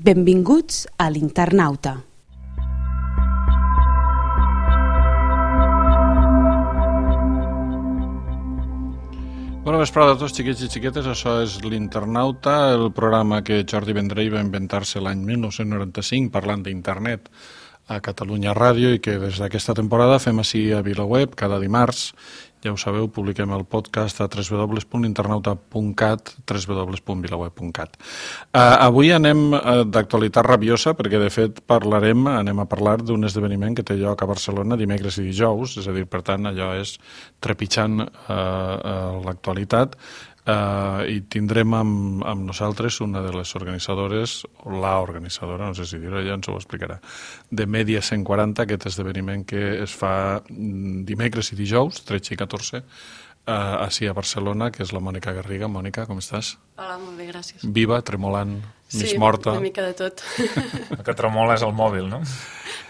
Benvinguts a l'Internauta. Bona vesprada a tots, xiquets i xiquetes. Això és l'Internauta, el programa que Jordi Vendrell va inventar-se l'any 1995 parlant d'internet a Catalunya Ràdio i que des d'aquesta temporada fem així a VilaWeb cada dimarts. Ja ho sabeu, publiquem el podcast a www.internauta.cat, www.vilaweb.cat. Avui anem d'actualitat rabiosa perquè, de fet, anem a parlar d'un esdeveniment que té lloc a Barcelona dimecres i dijous, és a dir, per tant, allò és trepitjant l'actualitat. I tindrem amb nosaltres una de les organitzadores, o la organitzadora, no sé si dir-ho, ja ens ho explicarà, de Media 140, aquest esdeveniment que es fa dimecres i dijous, 13 i 14, així a Barcelona, que és la Mònica Garriga. Mònica, com estàs? Hola, molt bé, gràcies. Viva, tremolant, mig morta. Sí, una mica de tot. El que tremola és el mòbil, no?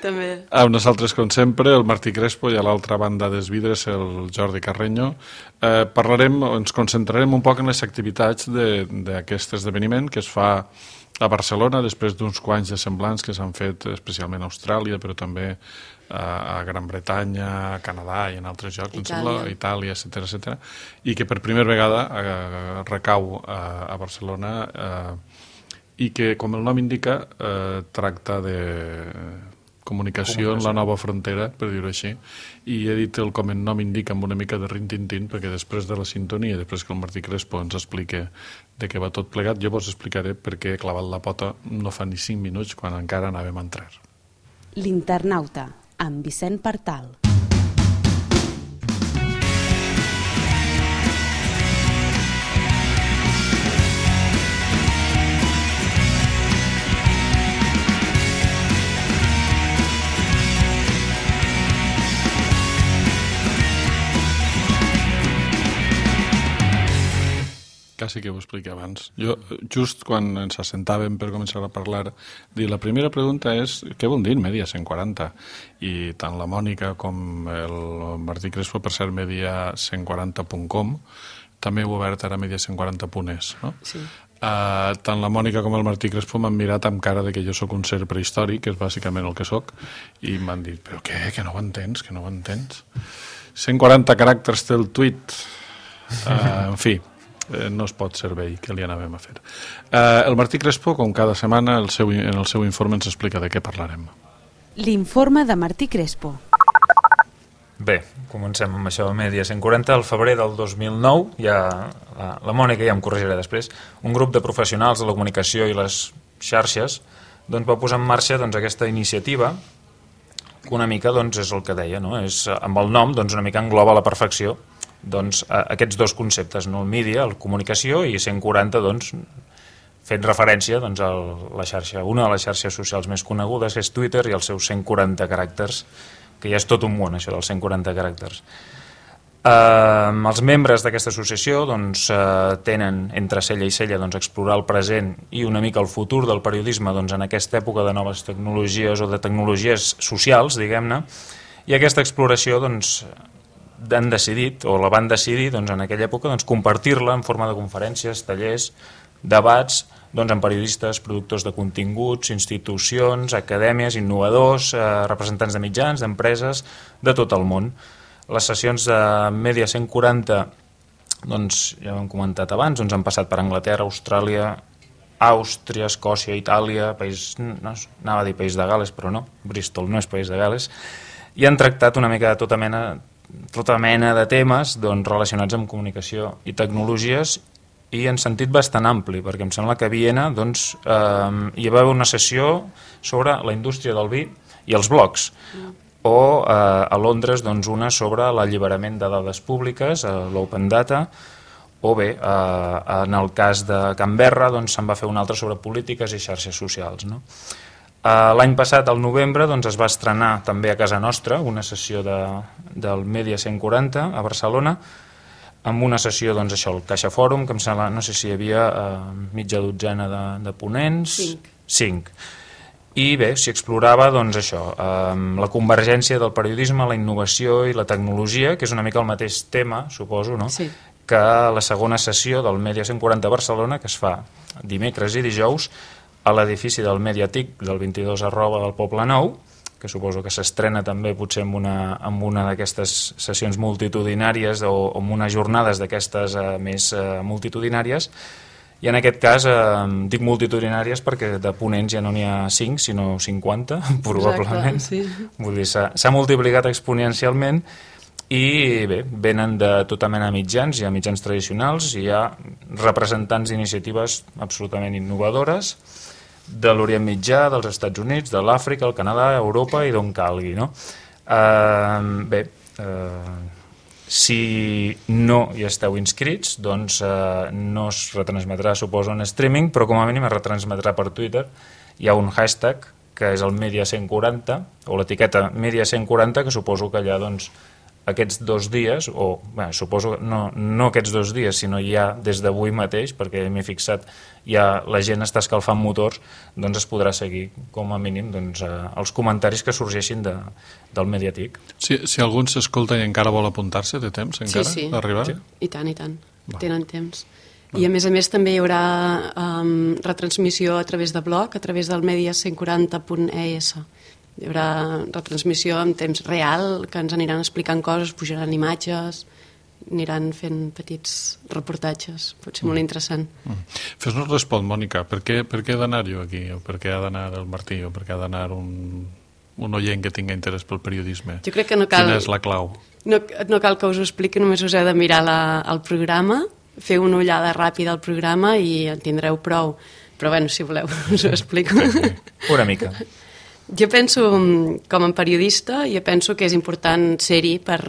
També. Amb nosaltres, com sempre, el Martí Crespo i a l'altra banda dels vidres el Jordi Carreño. Ens concentrarem un poc en les activitats d'aquest esdeveniment que es fa a Barcelona després d'uns quants de semblants que s'han fet especialment a Austràlia, però també a Gran Bretanya, a Canadà i en altres llocs, Itàlia, etc., i que per primera vegada recau a Barcelona i que, com el nom indica, tracta de comunicació en la nova frontera, per dir-ho així, i he dit com el nom indica amb una mica de rin-tin-tin, perquè després de la sintonia, després que el Martí Crespo ens expliqui de què va tot plegat, jo vos explicaré per què he clavat la pota no fa ni 5 minuts quan encara anàvem a entrar. L'Internauta, amb Vicent Partal. Quasi que ho expliqui abans. Jo, just quan ens assentàvem per començar a parlar, la primera pregunta és què vol dir Media 140? I tant la Mònica com el Martí Crespo, per ser media140.com, també heu obert ara media140.es, no? Sí. Tant la Mònica com el Martí Crespo m'han mirat amb cara de que jo sóc un ser prehistòric, que és bàsicament el que sóc, i m'han dit, però què, que no ho entens, que no ho entens? 140 caràcters té el tuit, en fi, no es pot ser vell, que li anàvem a fer. El Martí Crespo, com cada setmana, en el seu informe ens explica de què parlarem. L'informe de Martí Crespo. Bé, comencem amb això, Media 140. Al febrer del 2009, la Mònica ja em corregirà després, un grup de professionals de la comunicació i les xarxes va posar en marxa aquesta iniciativa que una mica és el que deia, no? Amb el nom una mica engloba a la perfecció aquests dos conceptes, no? El mídia, la comunicació, i 140 fent referència a la xarxa, una de les xarxes socials més conegudes, que és Twitter, i els seus 140 caràcters, que ja és tot un món, això dels 140 caràcters. Els membres d'aquesta associació tenen entre cella i cella explorar el present i una mica el futur del periodisme en aquesta època de noves tecnologies o de tecnologies socials, diguem-ne, i aquesta exploració han decidit, o la van decidir en aquella època, compartir-la en forma de conferències, tallers, debats amb periodistes, productors de continguts, institucions, acadèmies, innovadors, representants de mitjans, d'empreses, de tot el món. Les sessions de Media 140, ja ho hem comentat abans, han passat per Anglaterra, Austràlia, Àustria, Escòcia, Itàlia, anava a dir País de Gal·les, però no, Bristol no és País de Gal·les, i han tractat una mica de tota mena de temes relacionats amb comunicació i tecnologies, i en sentit bastant ampli, perquè em sembla que a Viena hi va haver una sessió sobre la indústria del vi i els blogs, o a Londres una sobre l'alliberament de dades públiques, l'open data, o bé, en el cas de Canberra se'n va fer una altra sobre polítiques i xarxes socials, no? L'any passat, al novembre, es va estrenar també a casa nostra una sessió del Media 140 a Barcelona, amb una sessió, el Caixa Fòrum, que em sembla, no sé si hi havia mitja dotzena de ponents. 5. I bé, s'hi explorava la convergència del periodisme, la innovació i la tecnologia, que és una mica el mateix tema, suposo, no? Sí. Que la segona sessió del Media 140 a Barcelona, que es fa dimecres i dijous, a l'edifici del Mediatic del 22 del Poble Nou, que suposo que s'estrena també potser amb una d'aquestes sessions multitudinàries o amb unes jornades d'aquestes més multitudinàries. I en aquest cas dic multitudinàries perquè de ponents ja no n'hi ha 5 sinó 50 probablement. Exacte, sí. Vull dir, s'ha multiplicat exponencialment i bé, venen de tota mena de mitjans, hi ha mitjans tradicionals, hi ha representants d'iniciatives absolutament innovadores de l'Orient Mitjà, dels Estats Units, de l'Àfrica, el Canadà, Europa i d'on calgui, no? Si no hi esteu inscrits, doncs no es retransmetrà, suposo, en streaming, però com a mínim es retransmetrà per Twitter. Hi ha un hashtag, que és el Media140, o l'etiqueta Media140, que suposo que allà, doncs, aquests 2 dies, o bé, suposo no aquests 2 dies, sinó ja des d'avui mateix, perquè m'he fixat, ja la gent està escalfant motors, doncs es podrà seguir, com a mínim, doncs, els comentaris que sorgeixin del Mediatic. Si algú s'escolta i encara vol apuntar-se, té temps encara d'arribar? Sí, i tant, tenen temps. I a més també hi haurà retransmissió a través de blog, a través del media140.es. Hi haurà retransmissió en temps real, que ens aniran explicant coses, pujaran imatges, aniran fent petits reportatges. Pot ser molt interessant. Fes-nos respon, Mònica, per què he d'anar jo aquí? O per què ha d'anar el Martí? O per què ha d'anar un oient que tingui interès pel periodisme? Jo crec que no cal... Quina és la clau? No cal que us ho expliqui, només us heu de mirar el programa, fer una ullada ràpida al programa i en tindreu prou. Però bueno, si voleu, us ho explico. Una mica. Jo penso, com a periodista, que és important ser-hi per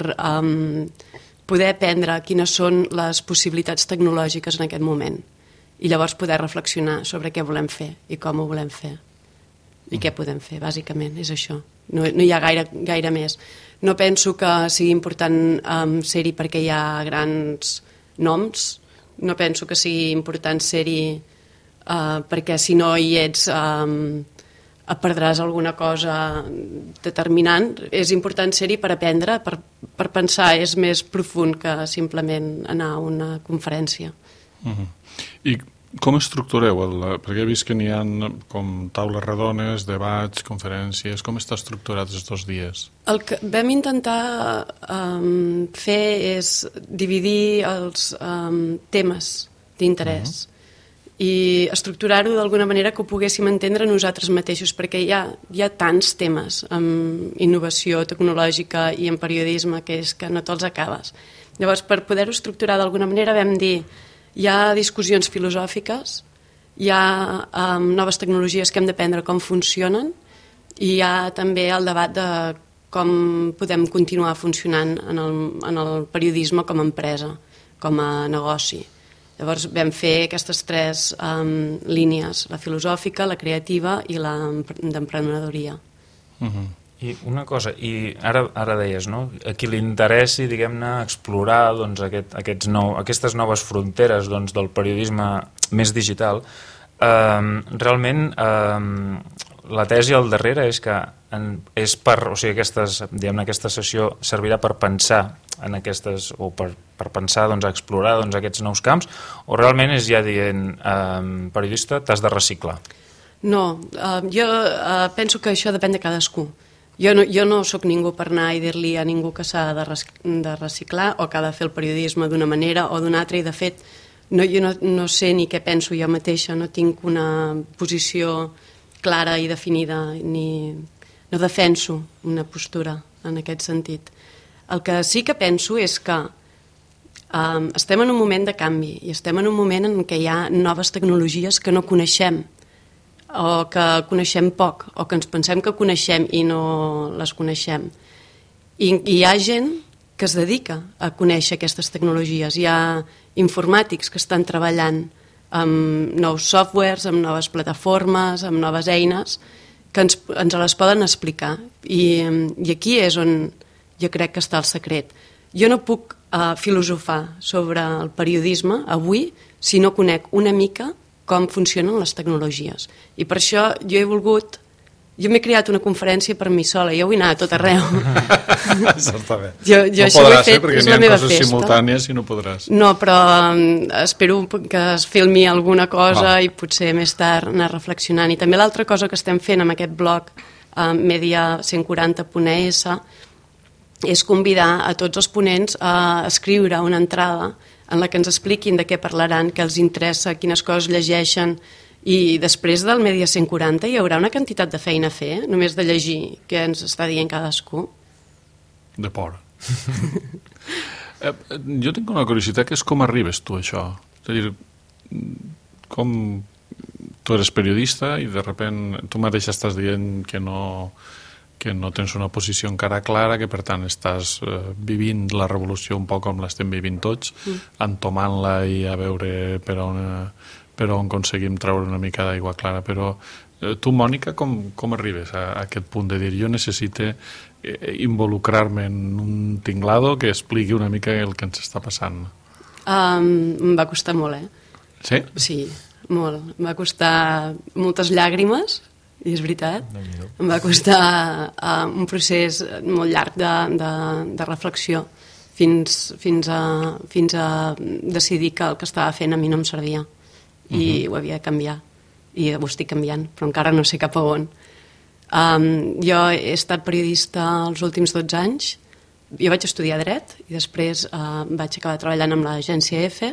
poder aprendre quines són les possibilitats tecnològiques en aquest moment i llavors poder reflexionar sobre què volem fer i com ho volem fer i què podem fer, bàsicament, és això. No hi ha gaire més. No penso que sigui important ser-hi perquè hi ha grans noms, no penso que sigui important ser-hi perquè si no hi ets... perdràs alguna cosa determinant. És important ser-hi per aprendre, per pensar, és més profund que simplement anar a una conferència. I com estructureu? Perquè he vist que n'hi ha com taules redones, debats, conferències. Com està estructurat els 2 dies? El que vam intentar fer és dividir els temes d'interès i estructurar-ho d'alguna manera que ho poguéssim entendre nosaltres mateixos, perquè hi ha tants temes en innovació tecnològica i en periodisme que és que no te'ls acabes. Llavors, per poder-ho estructurar d'alguna manera vam dir hi ha discussions filosòfiques, hi ha noves tecnologies que hem d'aprendre com funcionen i hi ha també el debat de com podem continuar funcionant en el periodisme com a empresa, com a negoci. Llavors vam fer aquestes 3 línies, la filosòfica, la creativa i la d'emprenedoria. I una cosa, i ara deies, no? A qui li interessi, diguem-ne, explorar doncs, aquestes noves fronteres doncs, del periodisme més digital, realment la tesi al darrere és que aquesta sessió servirà per pensar en aquestes, o per pensar, doncs, a explorar doncs, aquests nous camps, o realment és ja dient periodista, t'has de reciclar? No, jo penso que això depèn de cadascú. Jo no sóc ningú per anar i dir-li a ningú que s'ha de reciclar o que ha de fer el periodisme d'una manera o d'una altra, i de fet jo no sé ni què penso jo mateixa, no tinc una posició clara i definida, no defenso una postura en aquest sentit. El que sí que penso és que estem en un moment de canvi i estem en un moment en què hi ha noves tecnologies que no coneixem o que coneixem poc o que ens pensem que coneixem i no les coneixem. I hi ha gent que es dedica a conèixer aquestes tecnologies. Hi ha informàtics que estan treballant amb nous softwares, amb noves plataformes, amb noves eines que ens les poden explicar. I aquí és on jo crec que està el secret. Jo no puc filosofar sobre el periodisme avui si no conec una mica com funcionen les tecnologies. I per això jo he volgut Jo m'he creat una conferència per mi sola, jo vull anar a tot arreu. Això està bé. Jo no això ho he fet, perquè és n'hi la ha meva coses festa. simultànies i no podràs. No, però espero que es filmi alguna cosa Val. i potser més tard anar reflexionant. I també l'altra cosa que estem fent amb aquest blog media140.es és convidar a tots els ponents a escriure una entrada en la que ens expliquin de què parlaran, què els interessa, quines coses llegeixen, i després del Media 140 hi haurà una quantitat de feina a fer, només de llegir què ens està dient cadascú. De por. Jo tinc una curiositat, que és com arribes tu a això? És a dir, com tu eres periodista i de repente tu mateix estàs dient que no tens una posició encara clara, que per tant estàs vivint la revolució un poc com l'estem vivint tots, entomant-la i a veure per on aconseguim treure una mica d'aigua clara. Però tu, Mònica, com arribes a aquest punt de dir jo necessito involucrar-me en un tinglado que expliqui una mica el que ens està passant? Em va costar molt, Sí? Sí, molt. Em va costar moltes llàgrimes, i és veritat. Em va costar un procés molt llarg de reflexió fins a decidir que el que estava fent a mi no em servia i ho havia de canviar, i ho estic canviant, però encara no sé cap a on. Jo he estat periodista els últims 12 anys. Jo vaig estudiar dret i després vaig acabar treballant amb l'agència EFE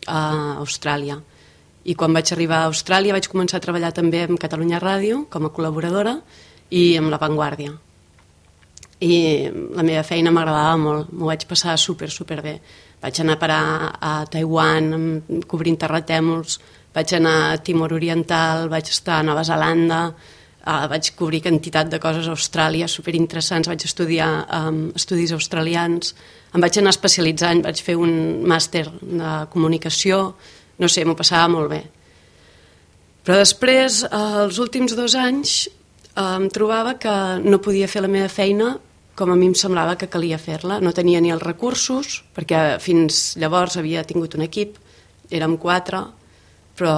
a Austràlia. I quan vaig arribar a Austràlia vaig començar a treballar també amb Catalunya Ràdio com a col·laboradora i amb La Vanguardia. I la meva feina m'agradava molt, m'ho vaig passar super bé. Vaig anar a parar a Taiwan cobrint terratèmols, vaig anar a Timor Oriental, vaig estar a Nova Zelanda, vaig cobrir quantitat de coses a Austràlia superinteressants, vaig estudiar estudis australians, em vaig anar especialitzant, vaig fer un màster de comunicació, no sé, m'ho passava molt bé. Però després, els últims 2 anys, em trobava que no podia fer la meva feina com a mi em semblava que calia fer-la. No tenia ni els recursos, perquè fins llavors havia tingut un equip, érem 4, però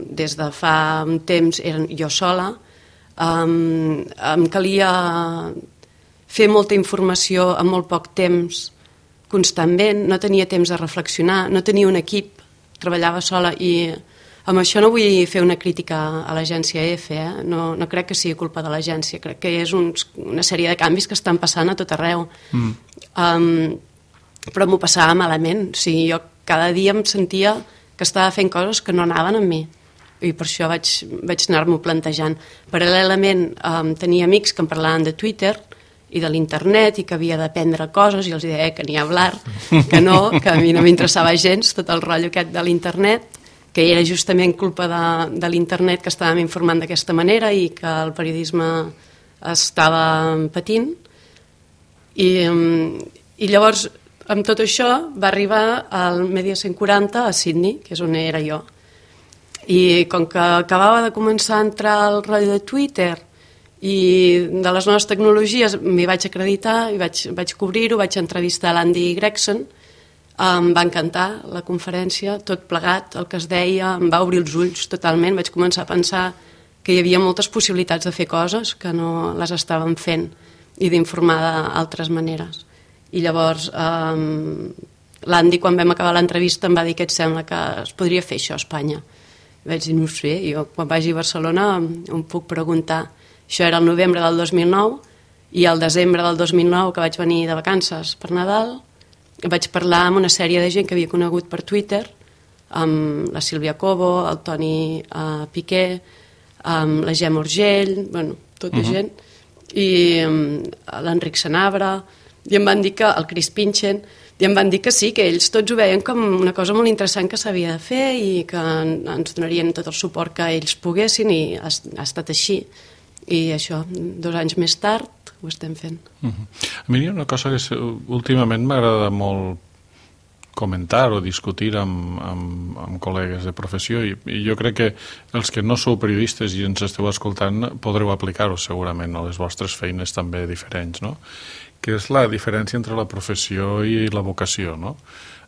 des de fa un temps era jo sola. Em calia fer molta informació en molt poc temps, constantment, no tenia temps de reflexionar, no tenia un equip, treballava sola i amb això no vull fer una crítica a l'agència EFE, no crec que sigui culpa de l'agència, crec que és una sèrie de canvis que estan passant a tot arreu. Però m'ho passava malament, o sigui, jo cada dia em sentia que estava fent coses que no anaven amb mi i per això vaig anar-m'ho plantejant. Paral·lelament tenia amics que em parlaven de Twitter i de l'internet i que havia d'aprendre coses i els deia que ni hablar, que no, que a mi no m'interessava gens tot el rotllo aquest de l'internet, que era justament culpa de l'internet que estàvem informant d'aquesta manera i que el periodisme estava patint. I llavors, amb tot això, va arribar al Media 140 a Sydney, que és on era jo. I com que acabava de començar a entrar al rotllo de Twitter i de les noves tecnologies, m'hi vaig acreditar i vaig cobrir-ho, vaig entrevistar l'Andy Gregson. Em va encantar la conferència, tot plegat, el que es deia, em va obrir els ulls totalment, vaig començar a pensar que hi havia moltes possibilitats de fer coses que no les estàvem fent i d'informar d'altres maneres. I llavors l'Andy, quan vam acabar l'entrevista, em va dir que et sembla que es podria fer això a Espanya. I vaig dir, no ho sé, jo quan vagi a Barcelona em puc preguntar. Això era el novembre del 2009 i el desembre del 2009, que vaig venir de vacances per Nadal, vaig parlar amb una sèrie de gent que havia conegut per Twitter, amb la Sílvia Cobo, el Toni Piqué, amb la Gemma Urgell, bueno, tota gent, i l'Enric Sanabra, i em van dir que, el Chris Pinchen, i em van dir que sí, que ells tots ho veien com una cosa molt interessant que s'havia de fer i que ens donarien tot el suport que ells poguessin, i ha estat així. I això, 2 anys més tard, ho estem fent. A mi hi ha una cosa que últimament m'agrada molt comentar o discutir amb col·legues de professió i jo crec que els que no sou periodistes i ens esteu escoltant podreu aplicar-ho segurament a les vostres feines també diferents, no? Que és la diferència entre la professió i la vocació, no?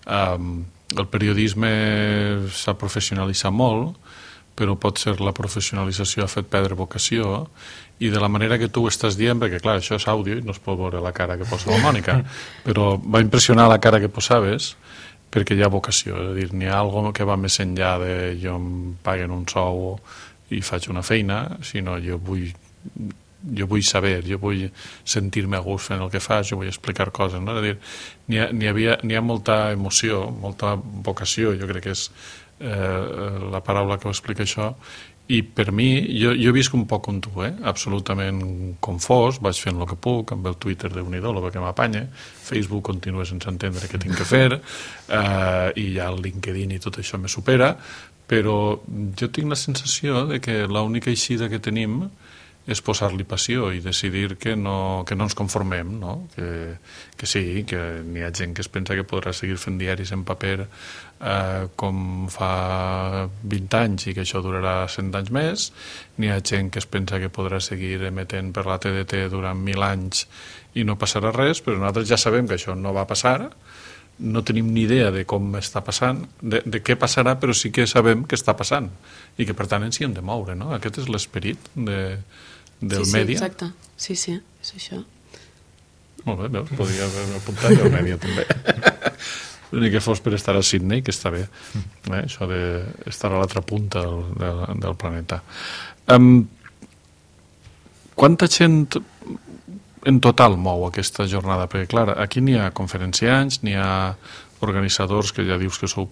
El periodisme s'ha professionalitzat molt, però pot ser la professionalització ha fet perdre vocació, i de la manera que tu ho estàs dient, perquè clar, això és àudio i no es pot veure la cara que posa la Mònica, però va impressionar la cara que posaves perquè hi ha vocació, és a dir, n'hi ha alguna que va més enllà de jo em paguen un sou i faig una feina, sinó jo vull saber, jo vull sentir-me a gust fent el que faig, jo vull explicar coses, no? És a dir, n'hi ha molta emoció, molta vocació, jo crec que és la paraula que ho explica això, i per mi, jo visc un poc com tu, absolutament confós, vaig fent el que puc, amb el Twitter de Unidó, el que m'apanya, Facebook continua sense entendre què tinc que fer, i ja el LinkedIn i tot això me supera, però jo tinc la sensació de que l'única eixida que tenim és posar-li passió i decidir que no ens conformem, no? Que sí, que n'hi ha gent que es pensa que podrà seguir fent diaris en paper com fa 20 anys i que això durarà 100 anys més, n'hi ha gent que es pensa que podrà seguir emetent per la TDT durant 1000 anys i no passarà res, però nosaltres ja sabem que això no va passar, no tenim ni idea de com està passant, de què passarà, però sí que sabem que està passant i que per tant ens hi hem de moure, no? Aquest és l'esperit del mèdia. Sí, exacte. Sí, és això. Molt bé, veus? Podria haver apuntat al mèdia també. Ni que fos per estar a Sydney, que està bé, això d'estar a l'altra punta del planeta. Quanta gent en total mou aquesta jornada? Perquè, clar, aquí n'hi ha conferenciants, n'hi ha organitzadors que ja dius que sou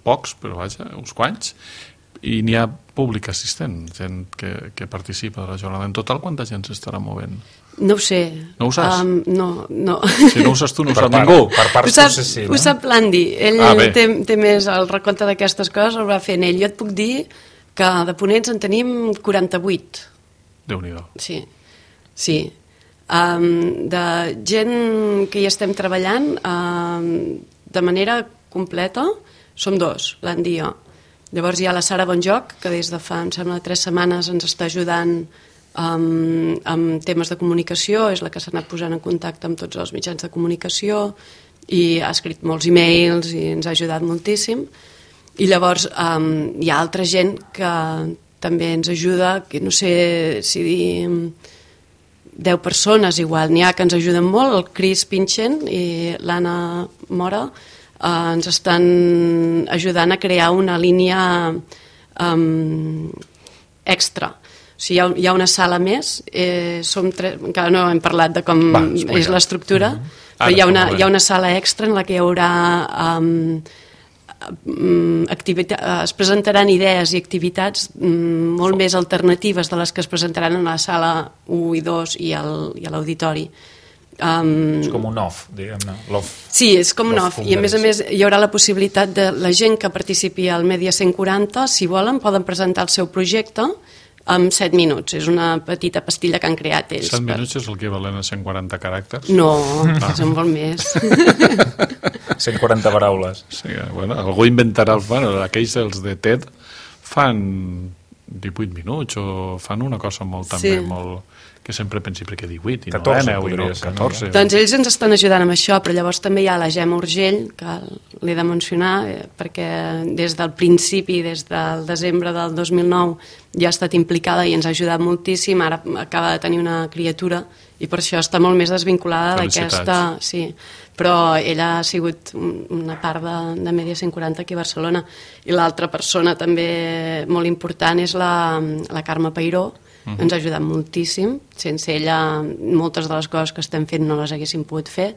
pocs, però vaja, uns quants, i n'hi ha públic assistent, gent que participa de la jornada. En total, quanta gent s'estarà movent? No ho sé. No ho saps? No. Si no ho saps tu, no ho sap ningú. Per parts potser sí, no? Ho sap l'Andy. Ell té més el recompte d'aquestes coses, el va fent ell. Jo et puc dir que de ponents en tenim 48. Déu-n'hi-do. Sí. De gent que hi estem treballant de manera completa som 2, l'Andy i jo. Llavors hi ha la Sara Bonjoc, que des de fa, em sembla, 3 setmanes ens està ajudant amb temes de comunicació, és la que s'ha anat posant en contacte amb tots els mitjans de comunicació i ha escrit molts e-mails i ens ha ajudat moltíssim. I llavors hi ha altra gent que també ens ajuda, que no sé si dir 10 persones igual, n'hi ha que ens ajuden molt, el Chris Pinchen i l'Anna Mora, ens estan ajudant a crear una línia extra. O sigui, hi ha una sala més, som 3, encara no hem parlat de com és l'estructura, però hi ha una sala extra en la que hi haurà es presentaran idees i activitats molt més alternatives de les que es presentaran en la sala 1 i 2 i a l'auditori. És com un off, diguem-ne. Sí, és com un off. I a més hi haurà la possibilitat de la gent que participi al Media 140, si volen, poden presentar el seu projecte en 7 minuts. És una petita pastilla que han creat ells. 7 minuts és el que valen a 140 caràcters? No, són molt més. 140 paraules. Sí, bueno, algú inventarà... Bueno, aquells dels de TED fan 18 minuts o fan una cosa molt també molt... que sempre pensi perquè 18 i 14, no 10 i 14. Doncs ells ens estan ajudant amb això, però llavors també hi ha la Gemma Urgell, que l'he de mencionar, perquè des del principi, des del desembre del 2009, ja ha estat implicada i ens ha ajudat moltíssim. Ara acaba de tenir una criatura i per això està molt més desvinculada d'aquesta... Sí, però ella ha sigut una part de Media 140 aquí a Barcelona. I l'altra persona també molt important és la Carme Peiró. Ens ha ajudat moltíssim. Sense ella moltes de les coses que estem fent no les haguéssim pogut fer.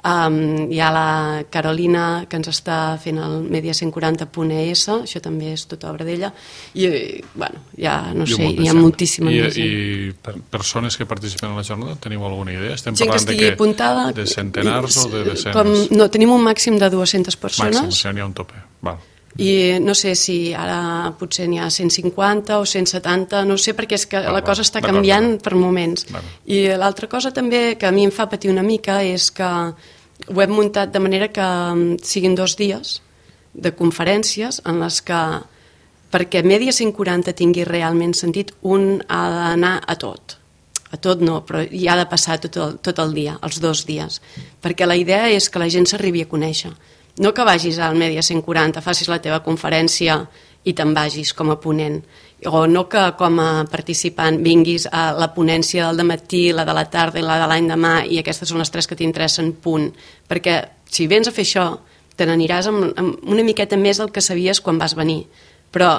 Hi ha la Carolina, que ens està fent el Media 140.es, això també és tota obra d'ella, i bueno, ja no sé, hi ha moltíssima gent. I persones que participen en la jornada, teniu alguna idea? Estem gent parlant de centenars o de desenes? No, tenim un màxim de 200 persones. Màxim, o sigui, n'hi ha un tope, val. I no sé si ara potser n'hi ha 150 o 170, no sé, perquè és que la cosa està canviant per moments. I l'altra cosa també que a mi em fa patir una mica és que ho hem muntat de manera que siguin 2 dies de conferències en les que, perquè Media 140 tingui realment sentit, un ha d'anar a tot no, però hi ha de passar tot el dia, els 2 dies, perquè la idea és que la gent s'arribi a conèixer. No que vagis al Media 140, facis la teva conferència i te'n vagis com a ponent, o no que com a participant vinguis a la ponència del dematí, la de la tarda i la de l'endemà, i aquestes són les 3 que t'interessen, punt. Perquè si vens a fer això, te n'aniràs amb una miqueta més del que sabies quan vas venir. Però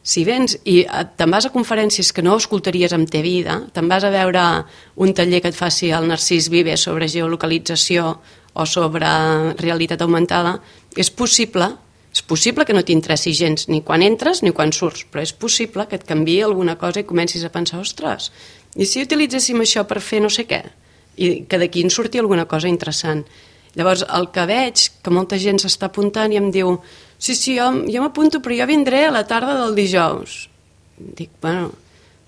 si vens i te'n vas a conferències que no escoltaries en te vida, te'n vas a veure un taller que et faci el Narcís Vives sobre geolocalització o sobre realitat augmentada, és possible que no t'interessi gens ni quan entres ni quan surts, però és possible que et canviï alguna cosa i comencis a pensar, ostres, i si utilitzéssim això per fer no sé què? I que d'aquí en surti alguna cosa interessant. Llavors, el que veig, que molta gent s'està apuntant i em diu, sí, jo m'apunto, però jo vindré a la tarda del dijous. Dic, bueno,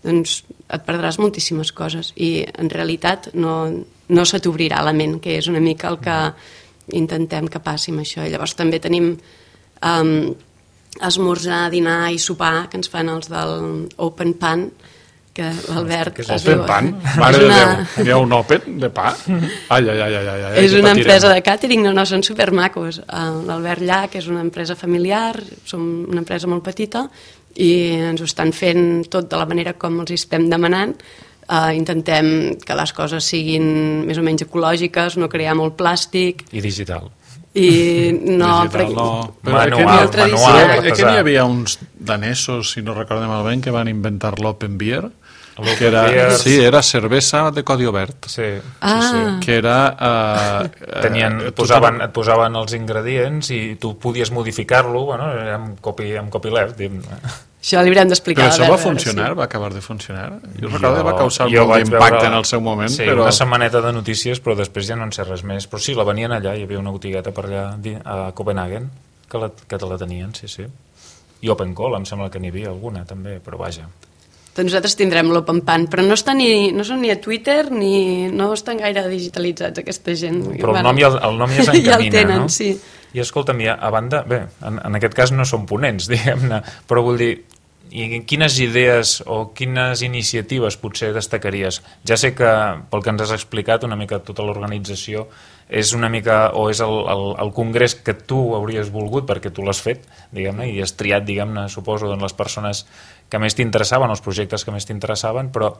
doncs et perdràs moltíssimes coses i en realitat no se t'obrirà la ment, que és una mica el que intentem que passi amb això. I llavors també tenim esmorzar, dinar i sopar que ens fan els del Open Pan, que l'Albert... Open Pan? Mare de Déu, hi ha un Open de pa? Ai. És una empresa de càtering, no, són supermacos. L'Albert Llach és una empresa familiar, som una empresa molt petita i ens ho estan fent tot de la manera com els estem demanant. Intentem que les coses siguin més o menys ecològiques, no crear molt plàstic. I digital. I no, manual. Que n'hi havia uns danesos, si no recordem malament, que van inventar l'Open Beer, que era cervesa de codi obert. Sí. Que era... et posaven els ingredients i tu podies modificar-lo, amb copyleft. Això li haurem d'explicar. Però això va funcionar? Va acabar de funcionar? Jo recordo que va causar molt d'impacte en el seu moment. Sí, una setmaneta de notícies, però després ja no en sé res més. Però sí, la venien allà, hi havia una botigueta per allà a Copenhagen que te la tenien, sí. I Open Call, em sembla que n'hi havia alguna també, però vaja. Doncs nosaltres tindrem l'Open Pan, però no són ni a Twitter ni no estan gaire digitalitzats aquesta gent. Però el nom ja s'encamina, ja el tenen, no? Sí. I escolta'm, a banda, bé, en aquest cas no som ponents, diguem-ne, però vull dir, i quines idees o quines iniciatives potser destacaries? Ja sé que, pel que ens has explicat, una mica tota l'organització és una mica, o és el congrés que tu hauries volgut perquè tu l'has fet, diguem-ne, i has triat, diguem-ne, suposo, les persones que més t'interessaven, els projectes que més t'interessaven, però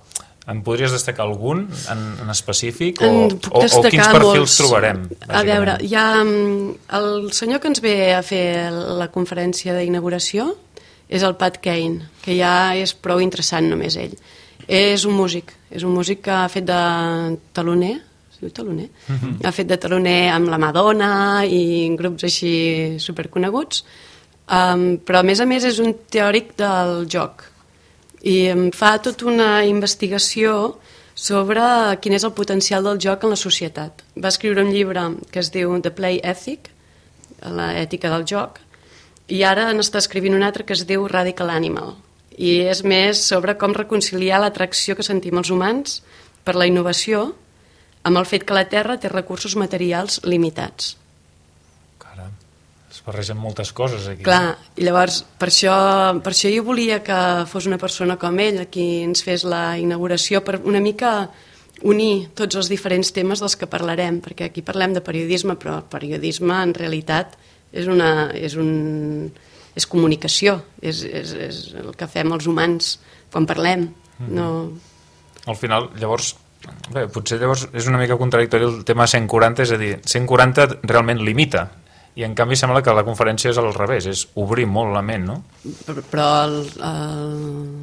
em podries destacar algun en específic o quins perfils trobarem? A veure, hi ha el senyor que ens ve a fer la conferència d'inauguració, és el Pat Kane, que ja és prou interessant només ell. És un músic que ha fet de teloner, es diu teloner? Ha fet de teloner amb la Madonna i grups així superconeguts, però a més és un teòric del joc i fa tota una investigació sobre quin és el potencial del joc en la societat. Va escriure un llibre que es diu The Play Ethic, l'ètica del joc, i ara n'està escrivint un altre que es diu Radical Animal, i és més sobre com reconciliar l'atracció que sentim els humans per la innovació amb el fet que la Terra té recursos materials limitats. Caram, es barregen moltes coses aquí. Clar, i llavors per això jo volia que fos una persona com ell qui ens fes la inauguració per una mica unir tots els diferents temes dels que parlarem, perquè aquí parlem de periodisme, però el periodisme en realitat és comunicació, és el que fem els humans quan parlem. Al final, llavors, potser llavors és una mica contradictori el tema 140, és a dir, 140 realment limita, i en canvi sembla que la conferència és al revés, és obrir molt la ment, no? Però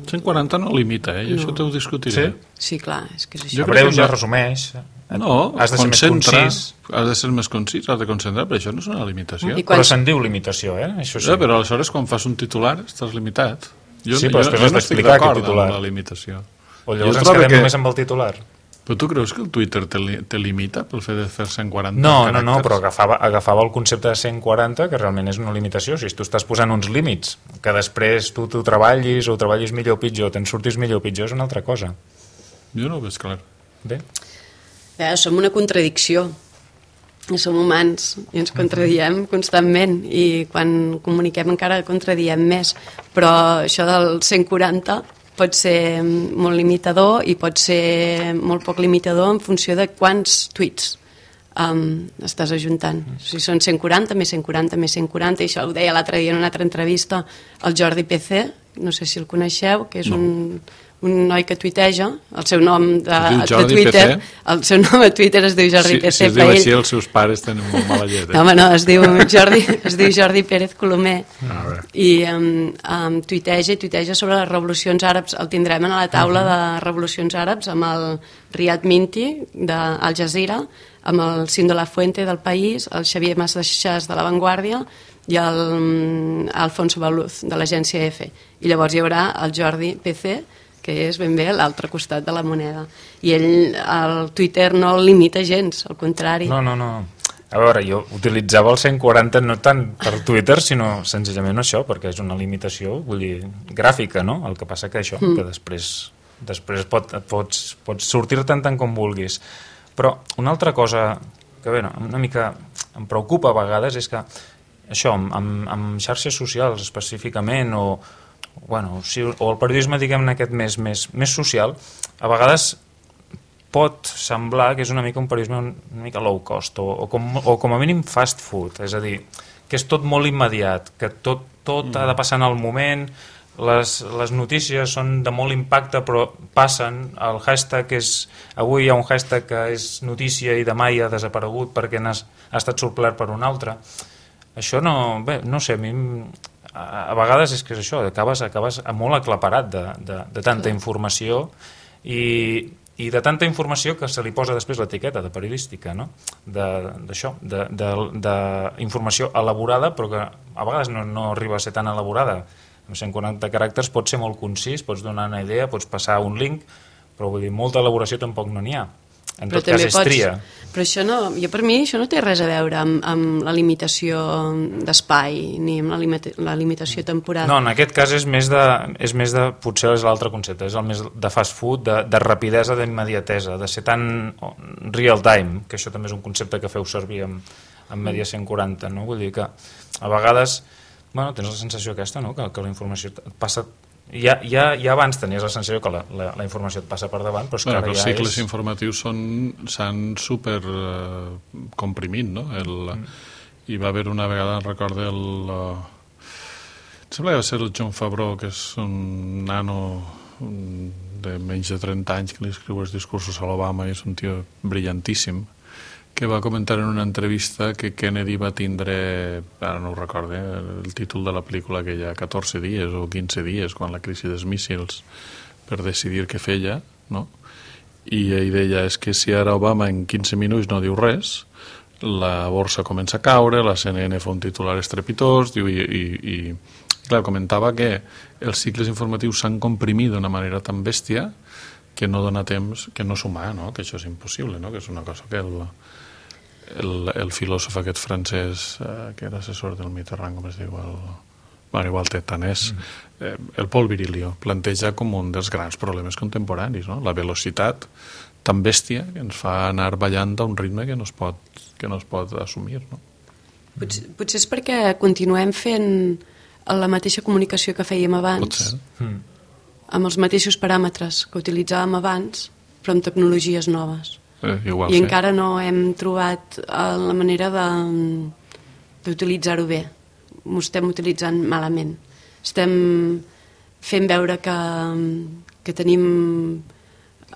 140 no limita, i això t'ho discutiré. Sí, clar, és que és això. A breu ja resumeix. No, has de ser més concís. Has de ser més concís, has de concentrar, però això no és una limitació. Però se'n diu limitació, Això sí. Però aleshores quan fas un titular estàs limitat. Sí, però després has d'explicar aquest titular. La limitació. O llavors ens quedem només amb el titular. Però tu creus que el Twitter te limita pel fet de fer 140 caràcters? No, però agafava el concepte de 140, que realment és una limitació. Si tu estàs posant uns límits, que després tu treballis o treballis millor o pitjor, te'n surtis millor o pitjor, és una altra cosa. Jo no ho veig clar. Bé. Som una contradicció. Som humans i ens contradiem constantment i quan comuniquem encara contradiem més. Però això del 140 pot ser molt limitador i pot ser molt poc limitador en funció de quants tuits estàs ajuntant. O sigui, són 140, més 140, més 140, i això ho deia l'altre dia en una altra entrevista el Jordi PC, no sé si el coneixeu, que és un noi que tuiteja, el seu nom de Twitter, el seu nom a Twitter es diu Jordi PC. Si es diu així, els seus pares tenen molt mala llet. No, home, no, es diu Jordi Pérez Colomer, i tuiteja sobre les revolucions àrabs. El tindrem a la taula de revolucions àrabs amb el Riyad Minti d'Al Jazeera, amb el Cim de la Fuente del País, el Xavier Massachas de La Vanguardia i Alfonso Baluz de l'agència EFE. I llavors hi haurà el Jordi PC, que és ben bé l'altre costat de la moneda. I ell, el Twitter no el limita gens, al contrari. No. A veure, jo utilitzava el 140 no tant per Twitter, sinó senzillament això, perquè és una limitació, vull dir, gràfica, no? El que passa que això, que després pots sortir-te'n tant com vulguis. Però una altra cosa que, bé, una mica em preocupa a vegades és que això, amb xarxes socials específicament, o el periodisme, diguem-ne, aquest més social, a vegades pot semblar que és una mica un periodisme una mica low cost, o com a mínim fast food, és a dir, que és tot molt immediat, que tot ha de passar en el moment, les notícies són de molt impacte però passen, el hashtag avui hi ha un hashtag que és notícia i demà ja ha desaparegut perquè ha estat suplert per un altre. Això no sé, a mi a vegades és que és això, acabes molt aclaparat de tanta informació i de tanta informació que se li posa després l'etiqueta de periodística, no? D'això, d'informació elaborada, però que a vegades no arriba a ser tan elaborada. Amb 140 caràcters pots ser molt concís, pots donar una idea, pots passar un link, però vull dir, molta elaboració tampoc no n'hi ha. En tot cas és tria. Però per mi això no té res a veure amb la limitació d'espai ni amb la limitació temporal. No, en aquest cas és més de potser és l'altre concepte, és el més de fast food, de rapidesa, d'immediatesa, de ser tan real time, que això també és un concepte que feu servir amb Media 140, no? Vull dir que a vegades tens la sensació aquesta, no? Que la informació et passa... Ja abans tenies la sensació que la informació et passa per davant, però és que ara ja és... Els cicles informatius s'han super comprimit, no? Hi va haver una vegada, recordo, em sembla que va ser el John Favreau, que és un nano de menys de 30 anys que li escriu els discursos a l'Obama i és un tio brillantíssim, que va comentar en una entrevista que Kennedy va tindre, ara no ho recordo, el títol de la pel·lícula que hi ha 14 dies o 15 dies, quan la crisi dels míssils, per decidir què feia, no? I ell deia, és que si ara Obama en 15 minuts no diu res, la borsa comença a caure, la CNN fa un titular estrepitós, i clar, comentava que els cicles informatius s'han comprimit d'una manera tan bèstia que no dona temps, que no és humà, no? Que això és impossible, no? Que és una cosa que el filòsof aquest francès que era assessor del Mitterrand, com es diu, igual té tant és, el Paul Virilio planteja com un dels grans problemes contemporanis, no? La velocitat tan bèstia que ens fa anar ballant a un ritme que no es pot assumir, no? Potser és perquè continuem fent la mateixa comunicació que fèiem abans. Pot ser. Amb els mateixos paràmetres que utilitzàvem abans, però amb tecnologies noves. I encara no hem trobat la manera d'utilitzar-ho bé. Ho estem utilitzant malament. Estem fent veure que tenim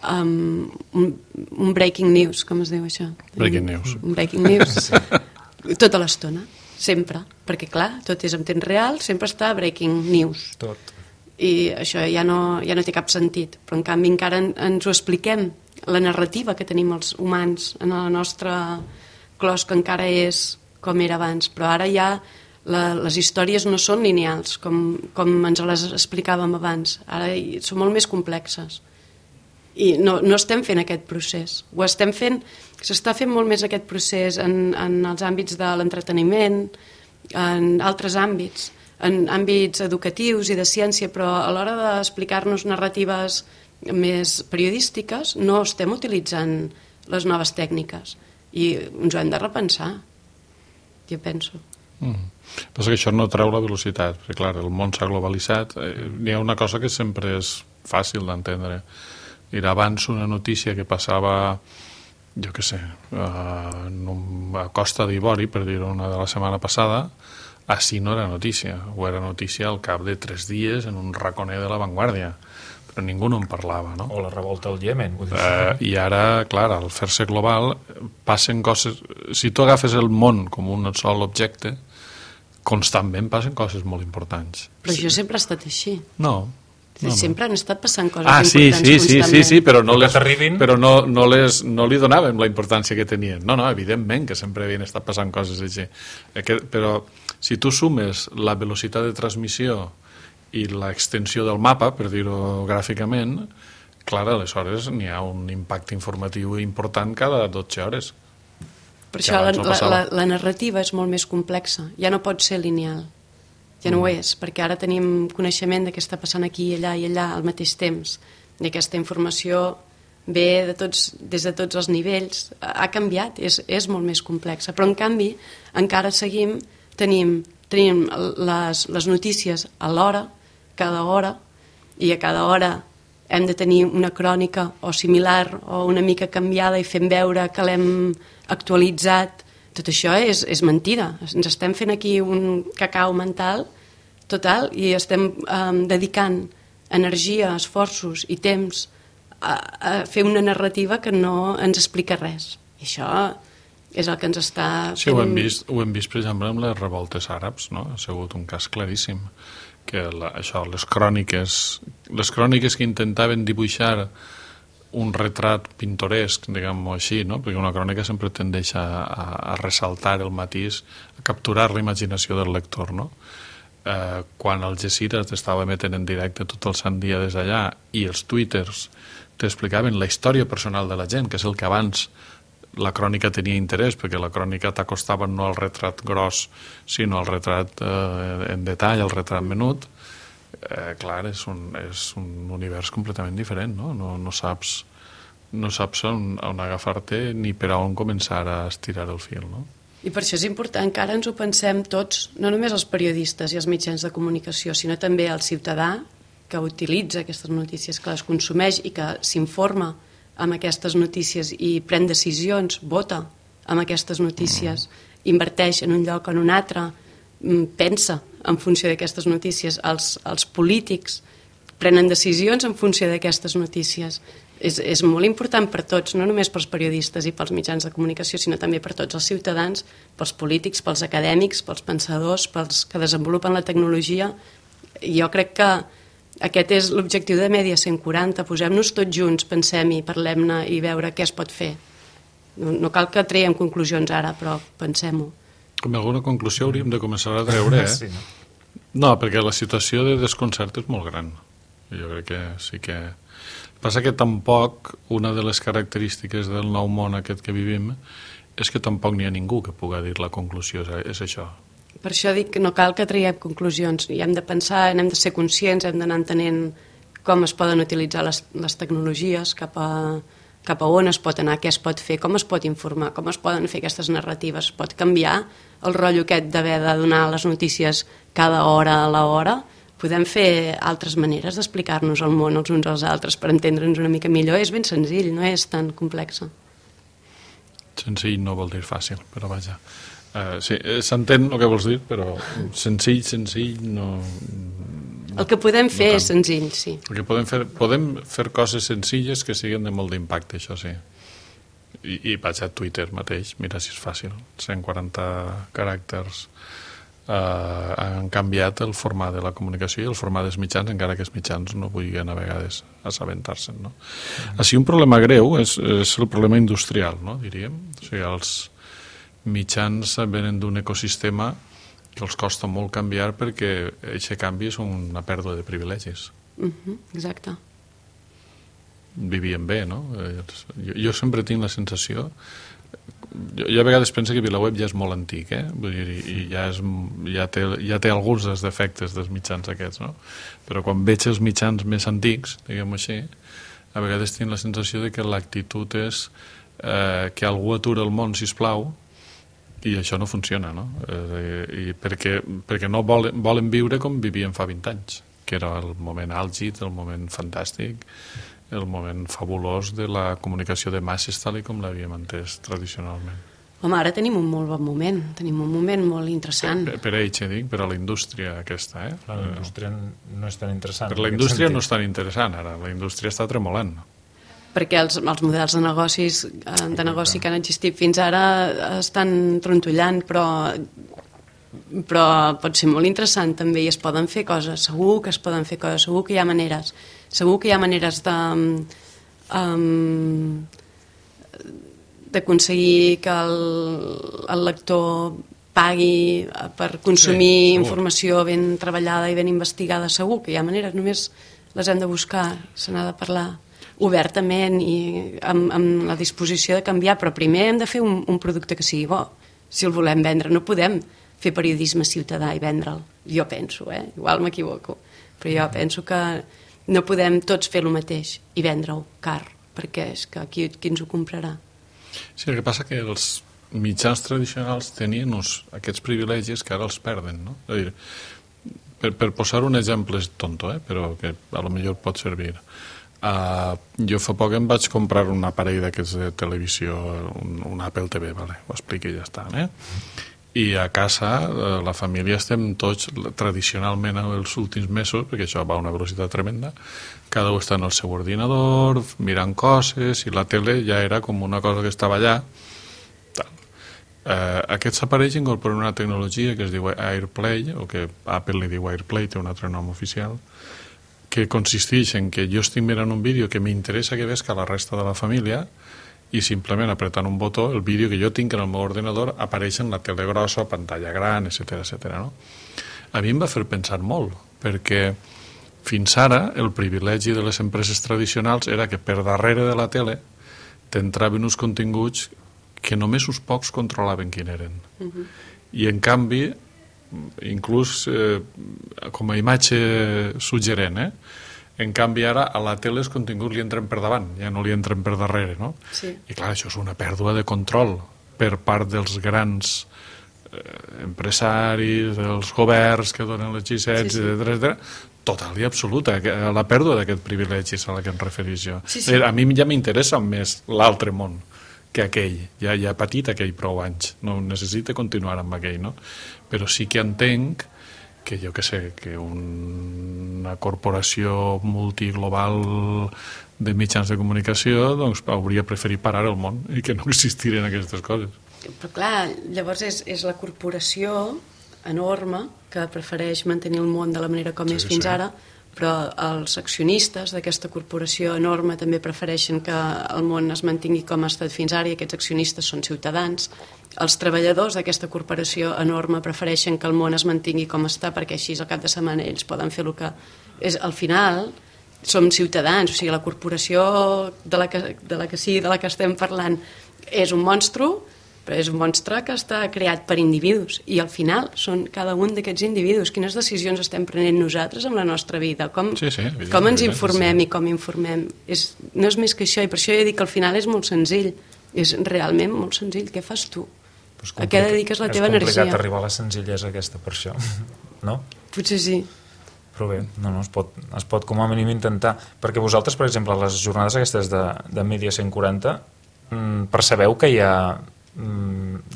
un breaking news, com es diu això? Breaking news. Un breaking news. Tota l'estona, sempre. Perquè, clar, tot és en temps real, sempre està breaking news. Tot. I això ja no té cap sentit. Però, en canvi, encara ens ho expliquem. La narrativa que tenim els humans en el nostre clos, que encara és com era abans. Però ara ja les històries no són lineals, com ens les explicàvem abans. Ara són molt més complexes. I no estem fent aquest procés. Ho estem fent, s'està fent molt més aquest procés en els àmbits de l'entreteniment, en altres àmbits, en àmbits educatius i de ciència, però a l'hora d'explicar-nos narratives més periodístiques no estem utilitzant les noves tècniques i ens ho hem de repensar, jo penso. Passa que això no treu la velocitat, perquè clar, el món s'ha globalitzat. N'hi ha una cosa que sempre és fàcil d'entendre. Era abans una notícia que passava jo què sé, a Costa d'Ivori, per dir-ho una de la setmana passada, així no era notícia, o era notícia al cap de 3 dies en un raconer de La Vanguardia, però ningú no en parlava, no? O la revolta al Iemen. Vull dir. I ara, clar, al fer-se global, passen coses... Si tu agafes el món com un sol objecte, constantment passen coses molt importants. Però això sempre ha estat així. No. Sempre han estat passant coses importants constantment. Sí, però no li donàvem la importància que tenien. No, evidentment que sempre havien estat passant coses així. Però si tu sumes la velocitat de transmissió i l'extensió del mapa, per dir-ho gràficament, clar, aleshores n'hi ha un impacte informatiu important cada 12 hores. Per això la narrativa és molt més complexa, ja no pot ser lineal. Ja no ho és, perquè ara tenim coneixement de què està passant aquí i allà al mateix temps, i aquesta informació ve des de tots els nivells, ha canviat, és molt més complexa, però en canvi encara tenim les notícies a l'hora, cada hora, i a cada hora hem de tenir una crònica o similar o una mica canviada i fem veure que l'hem actualitzat. Tot això és mentida. Ens estem fent aquí un cacau mental total i estem dedicant energia, esforços i temps a fer una narrativa que no ens explica res. I això és el que ens està fent... Sí, ho hem vist per exemple amb les revoltes àrabs, no? Ha sigut un cas claríssim que les cròniques que intentaven dibuixar un retrat pintoresc, diguem-ho així, no? Perquè una crònica sempre tendeix a ressaltar el matís, a capturar la imaginació del lector, no? Quan el Algeciras t'estava emetent en directe tot el sant dia des d'allà i els twitters t'explicaven la història personal de la gent, que és el que abans la crònica tenia interès, perquè la crònica t'acostava no al retrat gros, sinó al retrat en detall, al retrat menut. Clar, és un univers completament diferent, no? No saps on agafar-te ni per on començar a estirar el fil, no? I per això és important que ara ens ho pensem tots, no només els periodistes i els mitjans de comunicació, sinó també el ciutadà que utilitza aquestes notícies, que les consumeix i que s'informa amb aquestes notícies i pren decisions, vota amb aquestes notícies, inverteix en un lloc o en un altre, pensa en funció d'aquestes notícies. Els polítics prenen decisions en funció d'aquestes notícies. És molt important per tots, no només pels periodistes i pels mitjans de comunicació, sinó també per tots els ciutadans, pels polítics, pels acadèmics, pels pensadors, pels que desenvolupen la tecnologia. Jo crec que aquest és l'objectiu de Mèdia 140, posem-nos tots junts, pensem-hi, parlem-ne i veure què es pot fer. No cal que traiem conclusions ara, però pensem-ho. Com alguna conclusió hauríem de començar a treure, Sí. No, perquè la situació de desconcert és molt gran. Jo crec que sí que... Passa que tampoc una de les característiques del nou món aquest que vivim és que tampoc n'hi ha ningú que pugui dir la conclusió, és això. Per això dic que no cal que traiem conclusions, i hem de pensar, hem de ser conscients, hem d'anar entenent com es poden utilitzar les tecnologies, cap a on es pot anar, què es pot fer, com es pot informar, com es poden fer aquestes narratives. Es pot canviar el rotllo aquest d'haver de donar les notícies cada hora a l'hora. Podem fer altres maneres d'explicar-nos el món els uns als altres per entendre'ns una mica millor. És ben senzill, no és tan complexa. Senzill no vol dir fàcil, però vaja. Sí, s'entén el que vols dir, però senzill no... El que podem fer és senzill, sí. Perquè podem fer coses senzilles que siguin de molt d'impacte, això sí. I vaig a Twitter mateix, mira si és fàcil. 140 caràcters han canviat el format de la comunicació i el format dels mitjans, encara que els mitjans no vulguin a vegades assabentar-se'n, no? Així un problema greu és el problema industrial, no, diríem. O sigui, els mitjans venen d'un ecosistema que els costa molt canviar perquè aquest canvi és una pèrdua de privilegis. Exacte. Vivien bé, no? Jo sempre tinc la sensació... Jo a vegades penso que VilaWeb ja és molt antic, vull dir, i ja té alguns dels defectes dels mitjans aquests, no? Però quan veig els mitjans més antics, diguem-ho així, a vegades tinc la sensació de que l'actitud és que algú atura el món, sisplau, i això no funciona, no? Perquè no volen viure com vivien fa 20 anys, que era el moment àlgid, el moment fantàstic, el moment fabulós de la comunicació de masses tal com l'havíem entès tradicionalment. Home, ara tenim un molt bon moment, tenim un moment molt interessant. Per ells, dic, per a la indústria aquesta, La indústria no és tan interessant. Per la indústria no és tan interessant ara, la indústria està tremolant. Perquè els models de negoci que han existit fins ara estan trontollant, però pot ser molt interessant també i es poden fer coses, segur que es poden fer coses, segur que hi ha maneres d'aconseguir que el lector pagui per consumir informació ben treballada i ben investigada. Segur que hi ha maneres, només les hem de buscar, se n'ha de parlar obertament i amb la disposició de canviar, però primer hem de fer un producte que sigui bo, si el volem vendre. No podem fer periodisme ciutadà i vendre'l, jo penso, igual m'equivoco, però jo penso que no podem tots fer el mateix i vendre-ho car, perquè és que qui ens ho comprarà? Sí, el que passa que els mitjans tradicionals tenien aquests privilegis que ara els perden, no? És a dir, per posar un exemple tonto, però que a lo millor pot servir. Jo fa poc em vaig comprar un aparell d'aquests de televisió, un Apple TV, ho explico i ja està, i a casa la família estem tots tradicionalment els últims mesos, perquè això va a una velocitat tremenda, cada un està en el seu ordinador mirant coses i la tele ja era com una cosa que estava allà. Aquests aparells incorporen una tecnologia que es diu AirPlay, o que Apple li diu AirPlay, té un altre nom oficial, que consisteix en que jo estic mirant un vídeo que m'interessa que vesca la resta de la família i simplement apretant un botó el vídeo que jo tinc en el meu ordinador apareix en la tele grossa, pantalla gran, etc. No? A mi em va fer pensar molt, perquè fins ara el privilegi de les empreses tradicionals era que per darrere de la tele t'entraven uns continguts que només uns pocs controlaven quin eren. I en canvi, inclús com a imatge suggerent, en canvi ara a la tele els continguts li entren per davant, ja no li entren per darrere, no? Sí. I clar, això és una pèrdua de control per part dels grans empresaris, dels governs que donen les llicències, etc. Total i absoluta, la pèrdua d'aquest privilegi és a la que em referís jo. A mi ja m'interessa més l'altre món que aquell, ja ha patit aquell prou anys, no necessita continuar amb aquell, no? Però sí que entenc que jo que sé, que una corporació multiglobal de mitjans de comunicació doncs hauria preferit parar el món i que no existiren aquestes coses. Però clar, llavors és la corporació enorme que prefereix mantenir el món de la manera com és fins ara, però els accionistes d'aquesta corporació enorme també prefereixen que el món es mantingui com ha estat fins ara i aquests accionistes són ciutadans. Els treballadors d'aquesta corporació enorme prefereixen que el món es mantingui com està perquè així al cap de setmana ells poden fer el que... Al final som ciutadans, o sigui, la corporació de la que estem parlant és un monstru, però és un monstre que està creat per individus i al final són cada un d'aquests individus. Quines decisions estem prenent nosaltres amb la nostra vida? Com ens informem i com informem? No és més que això, i per això jo dic que al final és molt senzill, és realment molt senzill. Què fas tu? A què dediques la teva energia? És complicat arribar a la senzillesa aquesta per això, no? Potser sí. Però bé, es pot com a mínim intentar, perquè vosaltres, per exemple, a les jornades aquestes de Mídia 140 percebeu que hi ha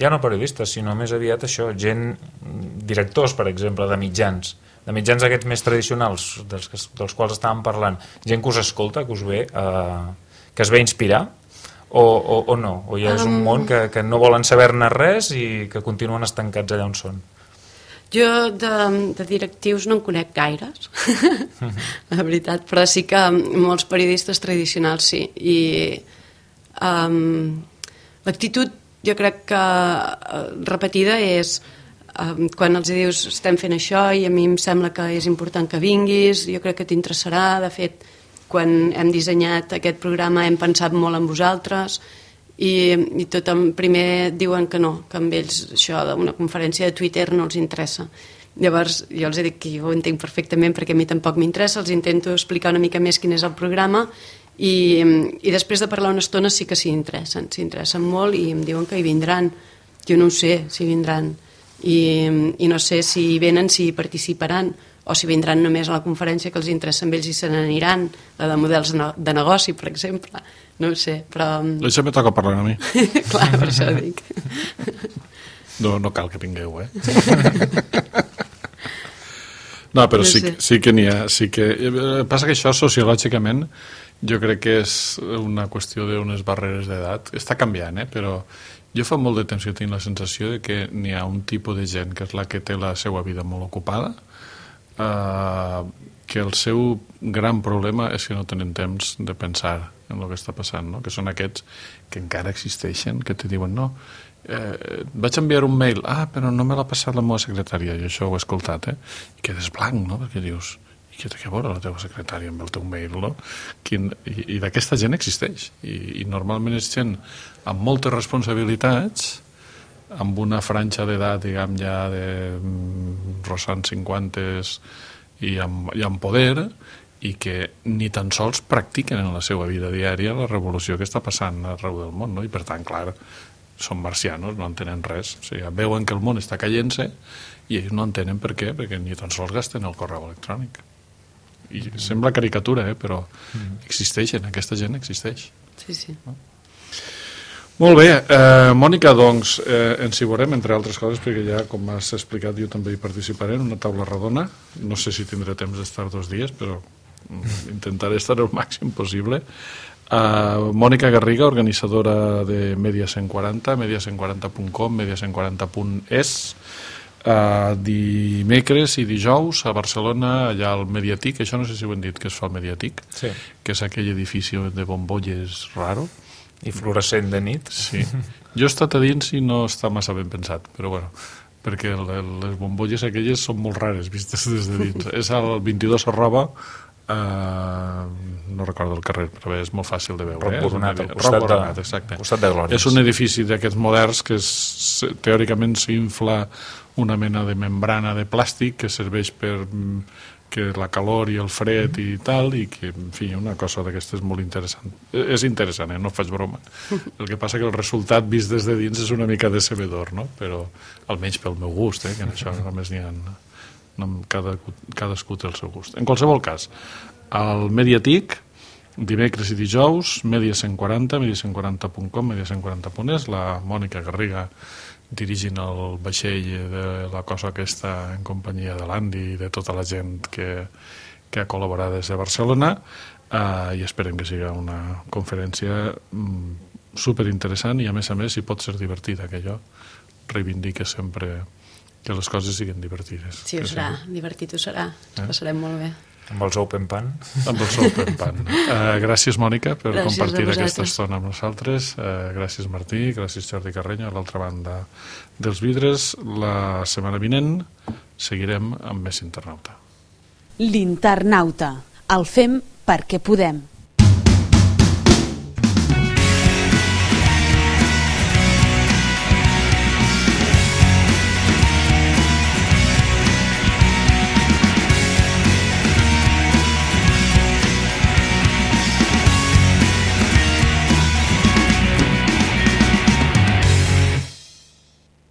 ja no periodistes, sinó més aviat això, directors, per exemple, de mitjans aquests més tradicionals dels quals estàvem parlant, gent que us escolta, que us ve que es ve inspirar o no? O ja és un món que no volen saber-ne res i que continuen estancats allà on són? Jo de directius no en conec gaires, la veritat, però sí que molts periodistes tradicionals sí, i l'actitud jo crec que repetida és quan els dius estem fent això i a mi em sembla que és important que vinguis, jo crec que t'interessarà, de fet quan hem dissenyat aquest programa hem pensat molt en vosaltres i tothom primer diuen que no, que amb ells això d'una conferència de Twitter no els interessa. Llavors jo els dic que jo ho entenc perfectament perquè a mi tampoc m'interessa, els intento explicar una mica més quin és el programa i després de parlar una estona sí que s'hi interessen molt i em diuen que hi vindran. Jo no ho sé si vindran i no sé si venen, si hi participaran, o si vindran només a la conferència que els interessa amb ells i se n'aniran, la de models de negoci, per exemple, no ho sé, però... Això me toca parlar a mi. Clar, per això dic. No cal que vingueu, No, però sí que n'hi ha. Passa que això, sociològicament, jo crec que és una qüestió d'unes barreres d'edat. Està canviant, però jo fa molt de temps que tinc la sensació de que n'hi ha un tipus de gent que és la que té la seva vida molt ocupada, que el seu gran problema és que no tenen temps de pensar en el que està passant, no? Que són aquests que encara existeixen, que te diuen no, vaig enviar un mail, però no me l'ha passat la meva secretària, i això ho he escoltat, i quedes blanc, no? Perquè dius, i què té que veure la teva secretària amb el teu mail, no? I d'aquesta gent existeix, i normalment és gent amb moltes responsabilitats, amb una franja d'edat, diguem, ja de rossant 50s i amb poder, i que ni tan sols practiquen en la seva vida diària la revolució que està passant arreu del món, no? I per tant, clar, són marcianos, no entenen res. O sigui, veuen que el món està caient-se i ells no entenen per què, perquè ni tan sols gasten el correu electrònic. I sembla caricatura, però existeixen, aquesta gent existeix. Sí. No? Molt bé, Mònica, doncs ens hi veurem, entre altres coses, perquè ja, com has explicat, jo també hi participaré en una taula redona. No sé si tindré temps d'estar 2 dies, però intentaré estar el màxim possible. Mònica Garriga, organitzadora de Media 140, media140.com, media140.es, dimecres i dijous a Barcelona, allà al Mediatic, això no sé si ho hem dit, que es fa al Mediatic, sí, que és aquell edifici de bombolles raro i fluorescent de nit. Sí. Jo he estat a dins i no està massa ben pensat, però bueno, perquè les bombolles aquelles són molt rares vistes des de dins. És al 22 Arroba, no recordo el carrer, però bé, és molt fàcil de veure. Roc Boronat, al costat de Glòries. És un edifici d'aquests moderns que teòricament s'infla una mena de membrana de plàstic que serveix per que la calor i el fred i tal, i que, en fi, una cosa d'aquestes molt interessant. És interessant, no faig broma. El que passa que el resultat vist des de dins és una mica decebedor, no? Però almenys pel meu gust, que en això només n'hi ha... Cadascú té el seu gust. En qualsevol cas, al Mediatic, dimecres i dijous, Media 140, media140.com, media140.es, la Mònica Garriga dirigint el vaixell de la cosa aquesta en companyia de l'Andy i de tota la gent que ha col·laborat des de Barcelona, i esperem que sigui una conferència superinteressant i a més, si pot ser divertida, que jo reivindique sempre que les coses siguin divertides. Sí, ho serà, divertit ho serà, ens passarem molt bé. Amb els Open Pan. Amb els Open Pan. Gràcies, Mònica, per compartir aquesta estona amb nosaltres. Gràcies, Martí. Gràcies, Jordi Carreño, a l'altra banda dels vidres. La setmana vinent seguirem amb més Internauta. L'Internauta. El fem perquè podem.